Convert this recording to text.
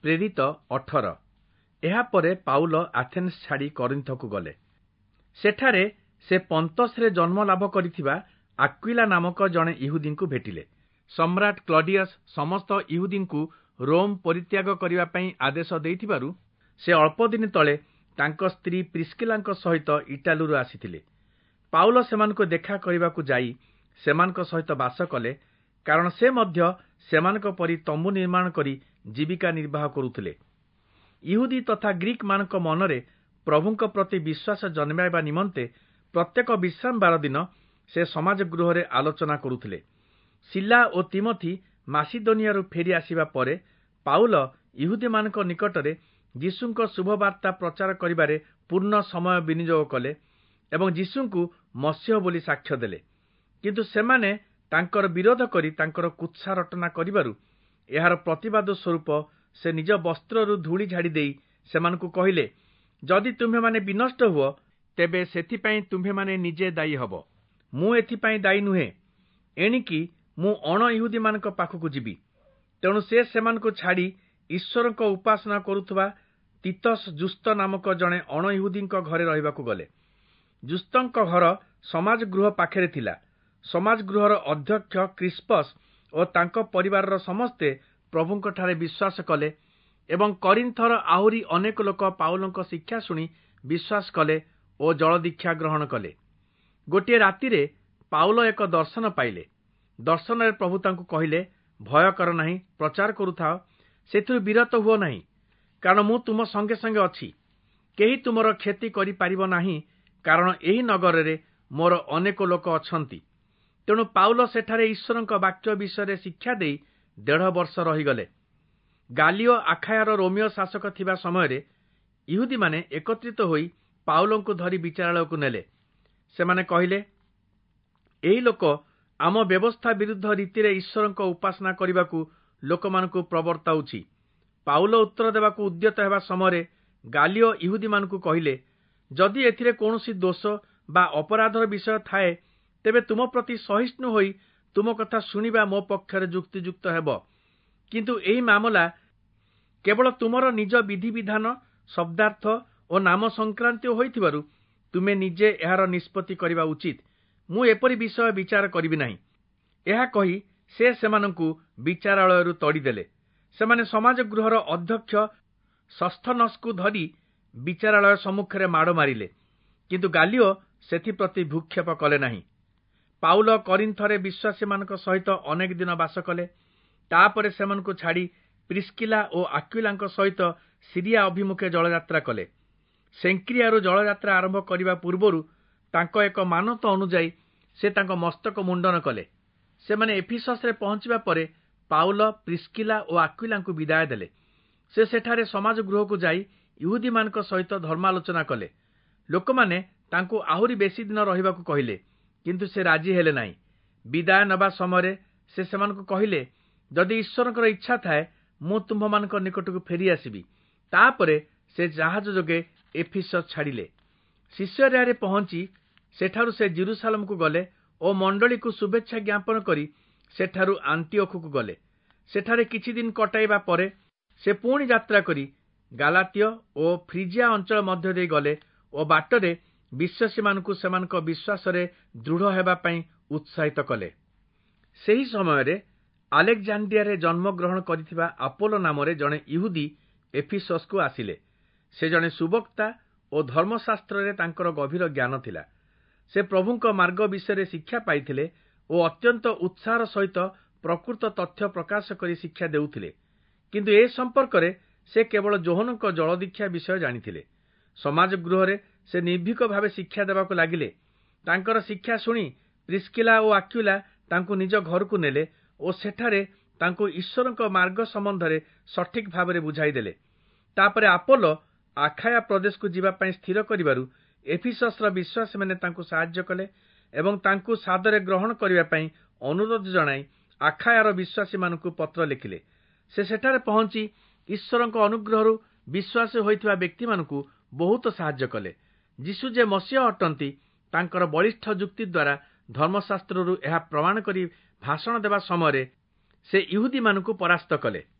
ପ୍ରେରିତ 18। ଏହାପରେ Paul Athens ଛାଡ଼ି କରିନ୍ଥକୁ ଗଲେ। ସେଠାରେ ସେ ପନ୍ତସରେ ଜନ୍ମ ଲାଭ କରିଥିବା ଆକ୍ୱିଲା ନାମକ ଜଣେ ଇହୁଦୀଙ୍କୁ ଭେଟିଲେ। ସମ୍ରାଟ କ୍ଲଡିୟସ୍ ସମସ୍ତ ଇହୁଦୀଙ୍କୁ ରୋମ୍ ପରିତ୍ୟାଗ କରିବା ପାଇଁ ଆଦେଶ ଦେଇଥିବାରୁ ସେ ଅଳ୍ପଦିନ ତଳେ ତାଙ୍କ ସ୍ତ୍ରୀ ପ୍ରିସ୍କିଲାଙ୍କ ସହିତ ଇଟାଲୀରୁ ଆସିଥିଲେ। ପାଉଲ ସେମାନଙ୍କୁ ଦେଖା କରିବାକୁ ଯାଇ ସେମାନଙ୍କ ସହିତ ବାସ କଲେ, କାରଣ ସେ ମଧ୍ୟ ସେମାନଙ୍କ ପରି ତମ୍ବୁ ନିର୍ମାଣ କରି ଜୀବିକା ନିର୍ବାହ କରୁଥିଲେ। ଇହୁଦୀ ତଥା ଗ୍ରୀକମାନଙ୍କ ମନରେ ପ୍ରଭୁଙ୍କ ପ୍ରତି ବିଶ୍ୱାସ ଜନ୍ମାଇବା ନିମନ୍ତେ ପ୍ରତ୍ୟେକ ବିଶ୍ରାମବାର ଦିନ ସେ ସମାଜ ଗୃହରେ ଆଲୋଚନା କରୁଥିଲେ। ଶିଲା ଓ ତିମଥି ମାସିଦୋନିଆରୁ ଫେରି ଆସିବା ପରେ ପାଉଲ ଇହୁଦୀମାନଙ୍କ ନିକଟରେ ଯୀଶୁଙ୍କ ଶୁଭବାର୍ତ୍ତା ପ୍ରଚାର କରିବାରେ ପୂର୍ଣ୍ଣ ସମୟ ବିନିଯୋଗ କଲେ ଏବଂ ଯୀଶୁଙ୍କୁ ମସିହ ବୋଲି ସାକ୍ଷ୍ୟ ଦେଲେ। କିନ୍ତୁ ସେମାନେ ତାଙ୍କର ବିରୋଧ କରି ତାଙ୍କର କୁତ୍ସା ରଟନା କରିବାରୁ ଏହାର ପ୍ରତିବାଦ ସ୍ୱରୂପ ସେ ନିଜ ବସ୍ତ୍ରରୁ ଧୂଳି ଝାଡ଼ି ଦେଇ ସେମାନଙ୍କୁ କହିଲେ, ଯଦି ତୁମ୍ଭେମାନେ ବିନଷ୍ଟ ହୁଅ, ତେବେ ସେଥିପାଇଁ ତୁମ୍ଭେମାନେ ନିଜେ ଦାୟୀ ହେବ, ମୁଁ ଏଥିପାଇଁ ଦାୟୀ ନୁହେଁ। ଏଣିକି ମୁଁ ଅଣ ଇହୁଦୀମାନଙ୍କ ପାଖକୁ ଯିବି। ତେଣୁ ସେ ସେମାନଙ୍କୁ ଛାଡ଼ି ଈଶ୍ୱରଙ୍କ ଉପାସନା କରୁଥିବା ତିତସ୍ ଯୁସ୍ତ ନାମକ ଜଣେ ଅଣ ଇହୁଦୀଙ୍କ ଘରେ ରହିବାକୁ ଗଲେ। ଯୁସ୍ତଙ୍କ ଘର ସମାଜ ଗୃହ ପାଖରେ ଥିଲା। ସମାଜ ଗୃହର ଅଧ୍ୟକ୍ଷ କ୍ରିସ୍ପସ୍ ଓ ତାଙ୍କ ପରିବାରର ସମସ୍ତେ ପ୍ରଭୁଙ୍କଠାରେ ବିଶ୍ୱାସ କଲେ ଏବଂ କରିନ୍ଥର ଆହୁରି ଅନେକ ଲୋକ ପାଉଲଙ୍କ ଶିକ୍ଷା ଶୁଣି ବିଶ୍ୱାସ କଲେ ଓ ଜଳଦୀକ୍ଷା ଗ୍ରହଣ କଲେ। ଗୋଟିଏ ରାତିରେ ପାଉଲ ଏକ ଦର୍ଶନ ପାଇଲେ। ଦର୍ଶନରେ ପ୍ରଭୁ ତାଙ୍କୁ କହିଲେ, ଭୟ କର ନାହିଁ, ପ୍ରଚାର କରୁଥାଅ, ସେଥିରୁ ବିରତ ହୁଅ ନାହିଁ, କାରଣ ମୁଁ ତୁମ ସଙ୍ଗେ ସଙ୍ଗେ ଅଛି। କେହି ତୁମର କ୍ଷତି କରିପାରିବ ନାହିଁ, କାରଣ ଏହି ନଗରରେ ମୋର ଅନେକ ଲୋକ ଅଛନ୍ତି। ତେଣୁ ପାଉଲ ସେଠାରେ ଈଶ୍ୱରଙ୍କ ବାକ୍ୟ ବିଷୟରେ ଶିକ୍ଷା ଦେଇ 1.5 ବର୍ଷ ରହିଗଲେ। ଗାଲିଓ ଆଖାୟାର ରୋମୀୟ ଶାସକ ଥିବା ସମୟରେ ଇହୁଦୀମାନେ ଏକତ୍ରିତ ହୋଇ ପାଉଲଙ୍କୁ ଧରି ବିଚାରାଳୟକୁ ନେଲେ। ସେମାନେ କହିଲେ, ଏହି ଲୋକ ଆମ ବ୍ୟବସ୍ଥା ବିରୁଦ୍ଧ ରୀତିରେ ଈଶ୍ୱରଙ୍କ ଉପାସନା କରିବାକୁ ଲୋକମାନଙ୍କୁ ପ୍ରବର୍ତ୍ତାଉଛି। ପାଉଲ ଉତ୍ତର ଦେବାକୁ ଉଦ୍ୟତ ହେବା ସମୟରେ ଗାଲିଓ ଇହୁଦୀମାନଙ୍କୁ କହିଲେ, ଯଦି ଏଥିରେ କୌଣସି ଦୋଷ ବା ଅପରାଧର ବିଷୟ ଥାଏ, ତେବେ ତୁମ ପ୍ରତି ସହିଷ୍ଣୁ ହୋଇ ତୁମ କଥା ଶୁଣିବା ମୋ ପକ୍ଷରେ ଯୁକ୍ତିଯୁକ୍ତ ହେବ। କିନ୍ତୁ ଏହି ମାମଲା କେବଳ ତୁମର ନିଜ ବିଧିବିଧାନ, ଶବ୍ଦାର୍ଥ ଓ ନାମ ସଂକ୍ରାନ୍ତୀୟ ହୋଇଥିବାରୁ ତୁମେ ନିଜେ ଏହାର ନିଷ୍ପତ୍ତି କରିବା ଉଚିତ। ମୁଁ ଏପରି ବିଷୟ ବିଚାର କରିବି ନାହିଁ। ଏହା କହି ସେ ସେମାନଙ୍କୁ ବିଚାରାଳୟରୁ ତଡ଼ିଦେଲେ। ସେମାନେ ସମାଜ ଗୃହର ଅଧ୍ୟକ୍ଷ ସସ୍ଥନସ୍କୁ ଧରି ବିଚାରାଳୟ ସମ୍ମୁଖରେ ମାଡ଼ ମାରିଲେ, କିନ୍ତୁ ଗାଲିଓ ସେଥିପ୍ରତି ଭ୍ରୂକ୍ଷେପ କଲେ ନାହିଁ। ପାଉଲ କରିନ୍ଥରେ ବିଶ୍ୱାସୀମାନଙ୍କ ସହିତ ଅନେକ ଦିନ ବାସ କଲେ। ତାପରେ ସେମାନଙ୍କୁ ଛାଡ଼ି ପ୍ରିସ୍କିଲା ଓ ଆକ୍ୱିଲାଙ୍କ ସହିତ ସିରିଆ ଅଭିମୁଖେ ଜଳଯାତ୍ରା କଲେ। ସେଙ୍କ୍ରିଆରୁ ଜଳଯାତ୍ରା ଆରମ୍ଭ କରିବା ପୂର୍ବରୁ ତାଙ୍କ ଏକ ମାନତ ଅନୁଯାୟୀ ସେ ତାଙ୍କ ମସ୍ତକ ମୁଣ୍ଡନ କଲେ। ସେମାନେ ଏଫିସସରେ ପହଞ୍ଚିବା ପରେ ପାଉଲ ପ୍ରିସ୍କିଲା ଓ ଆକ୍ୱିଲାଙ୍କୁ ବିଦାୟ ଦେଲେ। ସେ ସେଠାରେ ସମାଜ ଗୃହକୁ ଯାଇ ଇହୁଦୀମାନଙ୍କ ସହିତ ଧର୍ମାଲୋଚନା କଲେ। ଲୋକମାନେ ତାଙ୍କୁ ଆହୁରି ବେଶୀ ଦିନ ରହିବାକୁ କହିଲେ, କିନ୍ତୁ ସେ ରାଜି ହେଲେ ନାହିଁ। ବିଦାୟ ନେବା ସମୟରେ ସେ ସେମାନଙ୍କୁ କହିଲେ, ଯଦି ଈଶ୍ୱରଙ୍କର ଇଚ୍ଛା ଥାଏ, ମୁଁ ତୁମ୍ଭମାନଙ୍କ ନିକଟକୁ ଫେରିଆସିବି। ତାପରେ ସେ ଜାହାଜ ଯୋଗେ ଏଫିସସ୍ ଛାଡ଼ିଲେ। ସିସରିଆରେ ପହଞ୍ଚି ସେଠାରୁ ସେ ଜିରୁସାଲମକୁ ଗଲେ ଓ ମଣ୍ଡଳୀକୁ ଶୁଭେଚ୍ଛା ଜ୍ଞାପନ କରି ସେଠାରୁ ଆଣ୍ଟିଓଖକୁ ଗଲେ। ସେଠାରେ କିଛି ଦିନ କଟାଇବା ପରେ ସେ ପୁଣି ଯାତ୍ରା କରି ଗାଲାତୀୟ ଓ ଫ୍ରିଜିଆ ଅଞ୍ଚଳ ମଧ୍ୟ ଦେଇ ଗଲେ ଓ ବାଟରେ ବିଶ୍ୱାସୀମାନଙ୍କୁ ସେମାନଙ୍କ ବିଶ୍ୱାସରେ ଦୃଢ଼ ହେବା ପାଇଁ ଉତ୍ସାହିତ କଲେ। ସେହି ସମୟରେ ଆଲେକ୍ଜାଣ୍ଡିଆରେ ଜନ୍ମଗ୍ରହଣ କରିଥିବା ଆପୋଲୋ ନାମରେ ଜଣେ ଇହୁଦୀ ଏଫିସସ୍କୁ ଆସିଲେ। ସେ ଜଣେ ସୁବକ୍ତା ଓ ଧର୍ମଶାସ୍ତ୍ରରେ ତାଙ୍କର ଗଭୀର ଜ୍ଞାନ ଥିଲା। ସେ ପ୍ରଭୁଙ୍କ ମାର୍ଗ ବିଷୟରେ ଶିକ୍ଷା ପାଇଥିଲେ ଓ ଅତ୍ୟନ୍ତ ଉତ୍ସାହର ସହିତ ପ୍ରକୃତ ତଥ୍ୟ ପ୍ରକାଶ କରି ଶିକ୍ଷା ଦେଉଥିଲେ। କିନ୍ତୁ ଏ ସମ୍ପର୍କରେ ସେ କେବଳ ଯୋହନଙ୍କ ଜଳଦୀକ୍ଷା ବିଷୟ ଜାଣିଥିଲେ। ସମାଜ ଗୃହରେ ସେ ନିର୍ଭୀକ ଭାବେ ଶିକ୍ଷା ଦେବାକୁ ଲାଗିଲେ। ତାଙ୍କର ଶିକ୍ଷା ଶୁଣି ପ୍ରିସ୍କିଲା ଓ ଆକ୍ୱିଲା ତାଙ୍କୁ ନିଜ ଘରକୁ ନେଲେ ଓ ସେଠାରେ ତାଙ୍କୁ ଈଶ୍ୱରଙ୍କ ମାର୍ଗ ସମ୍ବନ୍ଧରେ ସଠିକ୍ ଭାବରେ ବୁଝାଇଦେଲେ। ତାପରେ ଆପୋଲୋ ଆଖାୟା ପ୍ରଦେଶକୁ ଯିବା ପାଇଁ ସ୍ଥିର କରିବାରୁ ଏଫିସସ୍ର ବିଶ୍ୱାସୀମାନେ ତାଙ୍କୁ ସାହାଯ୍ୟ କଲେ ଏବଂ ତାଙ୍କୁ ସାଦରେ ଗ୍ରହଣ କରିବା ପାଇଁ ଅନୁରୋଧ ଜଣାଇ ଆଖାୟାର ବିଶ୍ୱାସୀମାନଙ୍କୁ ପତ୍ର ଲେଖିଲେ। ସେ ସେଠାରେ ପହଞ୍ଚି ଈଶ୍ୱରଙ୍କ ଅନୁଗ୍ରହରୁ ବିଶ୍ୱାସୀ ହୋଇଥିବା ବ୍ୟକ୍ତିମାନଙ୍କୁ ବହୁତ ସାହାଯ୍ୟ କଲେ। ଯୀଶୁ ଯେ ମସିହ ଅଟନ୍ତି, ତାଙ୍କର ବଳିଷ୍ଠ ଯୁକ୍ତି ଦ୍ୱାରା ଧର୍ମଶାସ୍ତ୍ରରୁ ଏହା ପ୍ରମାଣ କରି ଭାଷଣ ଦେବା ସମୟରେ ସେ ଇହୁଦୀମାନଙ୍କୁ ପରାସ୍ତ କଲେ।